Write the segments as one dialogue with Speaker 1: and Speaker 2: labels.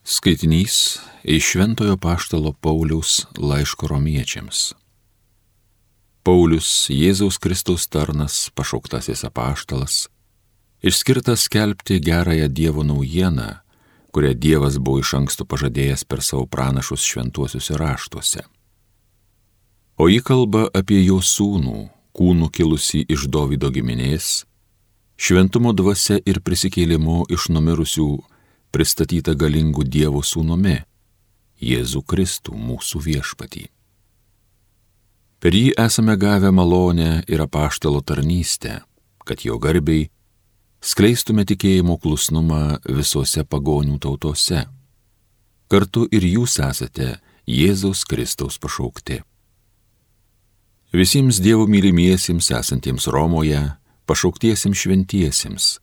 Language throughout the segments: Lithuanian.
Speaker 1: Skaitinys iš Šventojo Apaštalo Pauliaus laiško Romiečiams. Paulius, Jėzaus Kristaus tarnas, pašauktasis apaštalas, išskirtas skelbti gerąją Dievo naujieną, kurią Dievas buvo iš anksto pažadėjęs per savo pranašus šventuosiuose raštuose. O ji kalba apie jo sūnų, kūnų kilusį iš Dovydo giminės, šventumo dvasia ir prisikėlimu iš numirusių pristatyta galingų Dievo sūnumi, Jėzų Kristų mūsų viešpatį. Per jį esame gavę malonę ir apaštalo tarnystę, kad jo garbei skleistume tikėjimo klusnumą visose pagonių tautose. Kartu ir jūs esate Jėzaus Kristaus pašaukti. Visiems Dievo mylimiesiems esantiems Romoje, pašauktiesiems šventiesiems,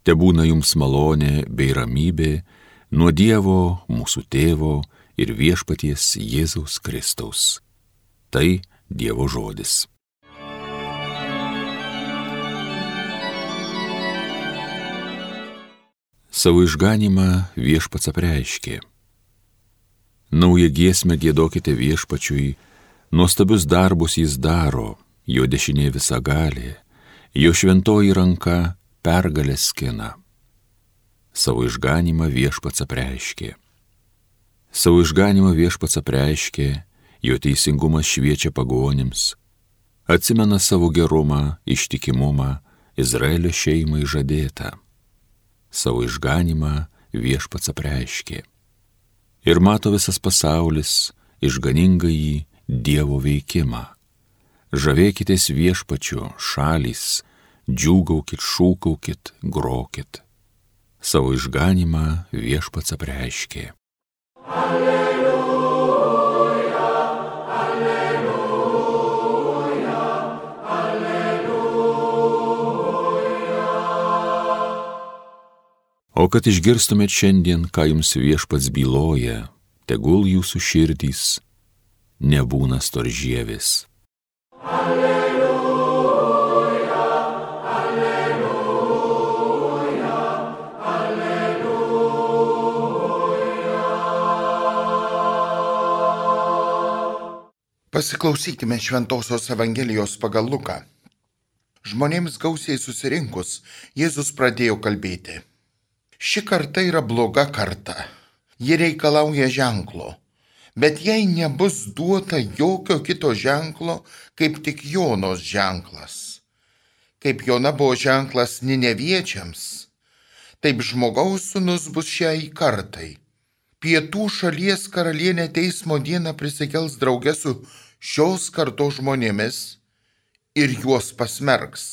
Speaker 1: tebūna jums malonė bei ramybė nuo Dievo, mūsų Tėvo ir viešpaties Jėzaus Kristaus. Tai Dievo žodis. Savo išganymą viešpats apreiškė. Naują giesmę giedokite viešpačiui, nuostabius darbus jis daro, jo dešinė visagalė, jo šventoji ranka pergalę skina. Savo išganymą viešpats apreiškė. Savo išganymą viešpats apreiškė, jo teisingumas šviečia pagonims, atsimena savo gerumą, ištikimumą, Izraelio šeimai žadėtą. Savo išganymą viešpats apreiškė. Ir mato visas pasaulis išganingąjį Dievo veikimą. Žavėkitės viešpačiu, šalys, džiūgaukit, šūkaukit, grokit. Savo išganymą viešpats apreiškė. Alleluja, alleluja, alleluja. O kad išgirstumėt šiandien, ką jums viešpats byloja, tegul jūsų širdys nebūna storžievis.
Speaker 2: Pasiklausykime Šventosios Evangelijos pagal Luką. Žmonėms gausiai susirinkus, Jėzus pradėjo kalbėti. Ši karta yra bloga karta. Ji reikalauja ženklo. Bet jei nebus duota jokio kito ženklo, kaip tik Jonos ženklas. Kaip Jona buvo ženklas Nineviečiams, taip žmogaus sūnus bus šiai kartai. Pietų šalies karalienė teismo dieną prisikels drauge su šios kartos žmonėmis ir juos pasmerks,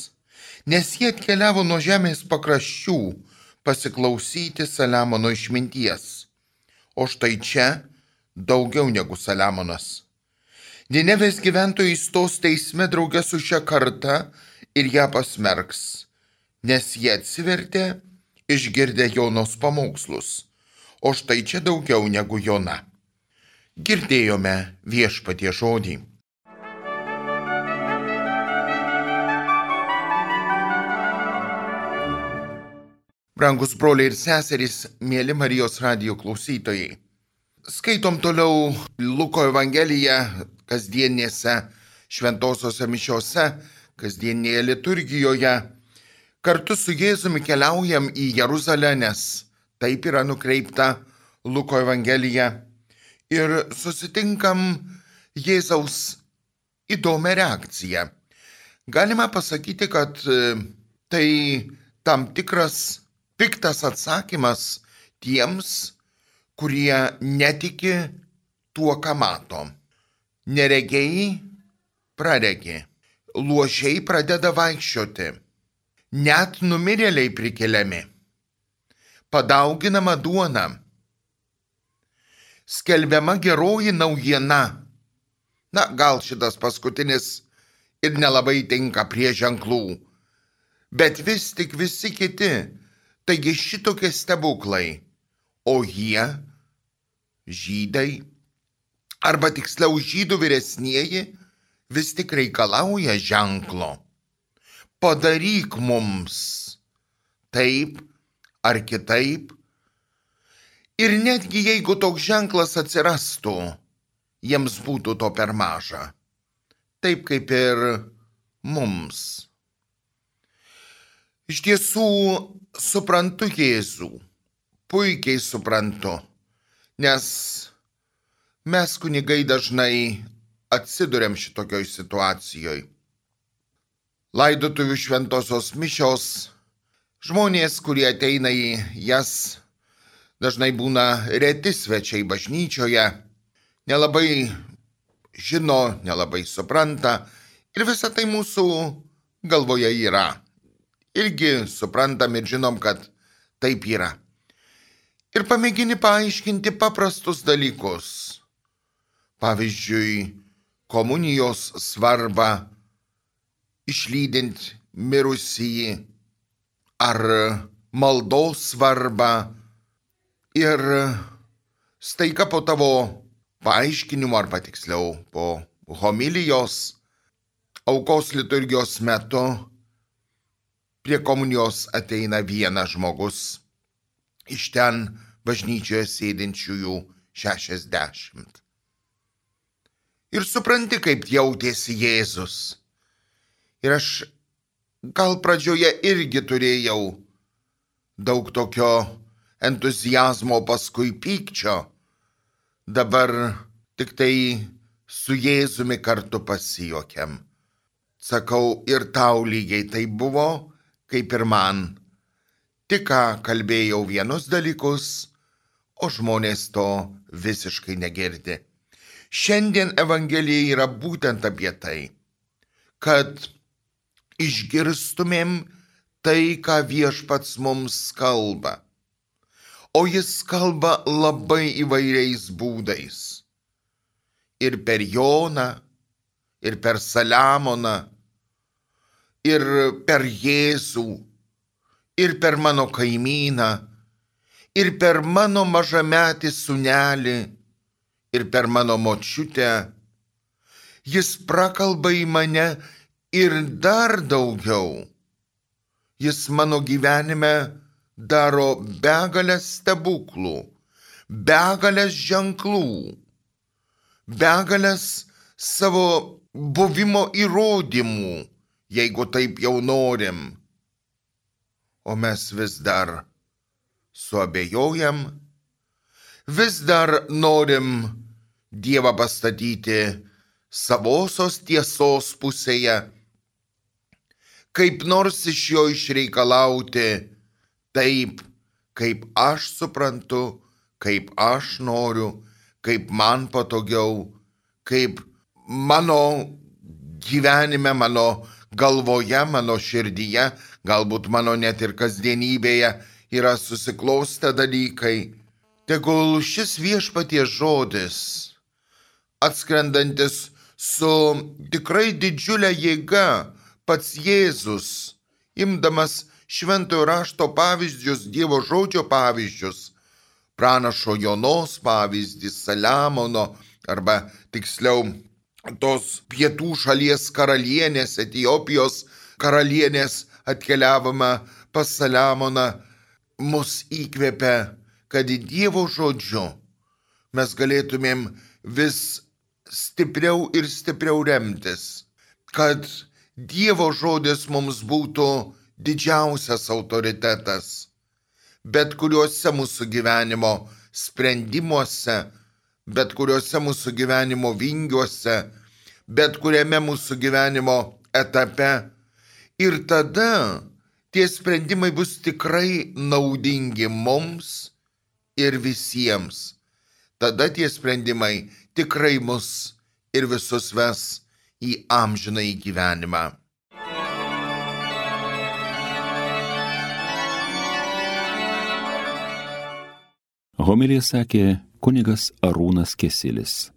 Speaker 2: nes jie atkeliavo nuo žemės pakraščių pasiklausyti Saliamono išminties. O štai čia daugiau negu Saliamonas. Ninevės gyventojai stos teisme drauge su šia karta ir ją pasmerks, nes jie atsivertė išgirdę Jonos pamokslus. O štai čia daugiau negu Jona. Girdėjome viešpatie žodį. Brangus broliai ir seserys, mėly Marijos radijo klausytojai. Skaitom toliau Luko Evangeliją kasdienėse šventosiose mišiose, kasdienėje liturgijoje. Kartu su Jėzumi keliaujam į Jeruzalę, nes taip yra nukreipta Luko Evangelija. Ir susitinkam Jėzaus įdomią reakciją. Galima pasakyti, kad tai tam tikras piktas atsakymas tiems, kurie netiki tuo, ką mato. Neregiai praregi, luošiai pradeda vaikščioti, net numirėliai prikeliami. Padauginama duona, skelbiama geroji naujiena. Na, gal šitas paskutinis ir nelabai tinka prie ženklų, bet vis tik visi kiti, taigi šitokie stebuklai, o jie, žydai, arba tiksliau žydų vyresnieji, vis tik reikalauja ženklo. Padaryk mums taip ar kitaip. Ir netgi jeigu toks ženklas atsirastų, jiems būtų to per maža. Taip kaip ir mums. Iš tiesų suprantu Jėzų, puikiai suprantu, nes mes kunigai dažnai atsiduriam šitokioj situacijoje. Laidotuvių šventosios mišios, žmonės, kurie ateina į jas, dažnai būna reti svečiai bažnyčioje, nelabai žino, nelabai supranta ir visa tai mūsų galvoje yra. Irgi suprantam ir žinom, kad taip yra. Ir pamėgini paaiškinti paprastus dalykus. Pavyzdžiui, komunijos svarbą, išlydint mirusįjį, ar maldos svarbą. Ir staiga po tavo paaiškinimo, arba tiksliau po homilijos, aukos liturgijos metu, prie komunijos ateina vienas žmogus, iš ten bažnyčioje sėdinčiųjų 60. Ir supranti, kaip jautėsi Jėzus. Ir aš gal pradžioje irgi turėjau daug tokio entuzijazmo, paskui pykčio. Dabar tik tai su Jėzumi kartu pasijuokiam. Sakau, ir tau lygiai tai buvo, kaip ir man. Tik ką kalbėjau vienus dalykus, o žmonės to visiškai negirdi. Šiandien Evangelija yra būtent apie tai, kad išgirstumėm tai, ką Viešpats mums kalba. O jis kalba labai įvairiais būdais. Ir per Joną, ir per Saliamoną, ir per Jėzų, ir per mano kaimyną, ir per mano mažametį sūnelį, ir per mano močiutę. Jis prakalba į mane ir dar daugiau. Jis mano gyvenime daro begalės stebuklų, begalės ženklų, begalės savo buvimo įrodymų, jeigu taip jau norim. O mes vis dar suabejojam, vis dar norim Dievą pastatyti savosios tiesos pusėje, kaip nors iš jo išreikalauti taip, kaip aš suprantu, kaip aš noriu, kaip man patogiau, kaip mano gyvenime, mano galvoje, mano širdyje, galbūt mano net ir kasdienybėje yra susiklostę dalykai. Tegul šis Viešpaties žodis, atskrendantis su tikrai didžiulė jėga, pats Jėzus, imdamas šventojo rašto pavyzdžius, Dievo žodžio pavyzdžius, pranašo Jonos pavyzdį, Saliamono, arba tiksliau tos pietų šalies karalienės, Etiopijos karalienės atkeliavimą pas Saliamoną, mus įkvepia, kad Dievo žodžiu mes galėtumėm vis stipriau ir stipriau remtis, kad Dievo žodis mums būtų didžiausias autoritetas, bet kuriuose mūsų gyvenimo sprendimuose, bet kuriuose mūsų gyvenimo vingiuose, bet kuriame mūsų gyvenimo etape. Ir tada tie sprendimai bus tikrai naudingi mums ir visiems. Tada tie sprendimai tikrai mus ir visus ves į amžinąjį gyvenimą.
Speaker 1: Homiliją sakė kunigas Arūnas Kesilis.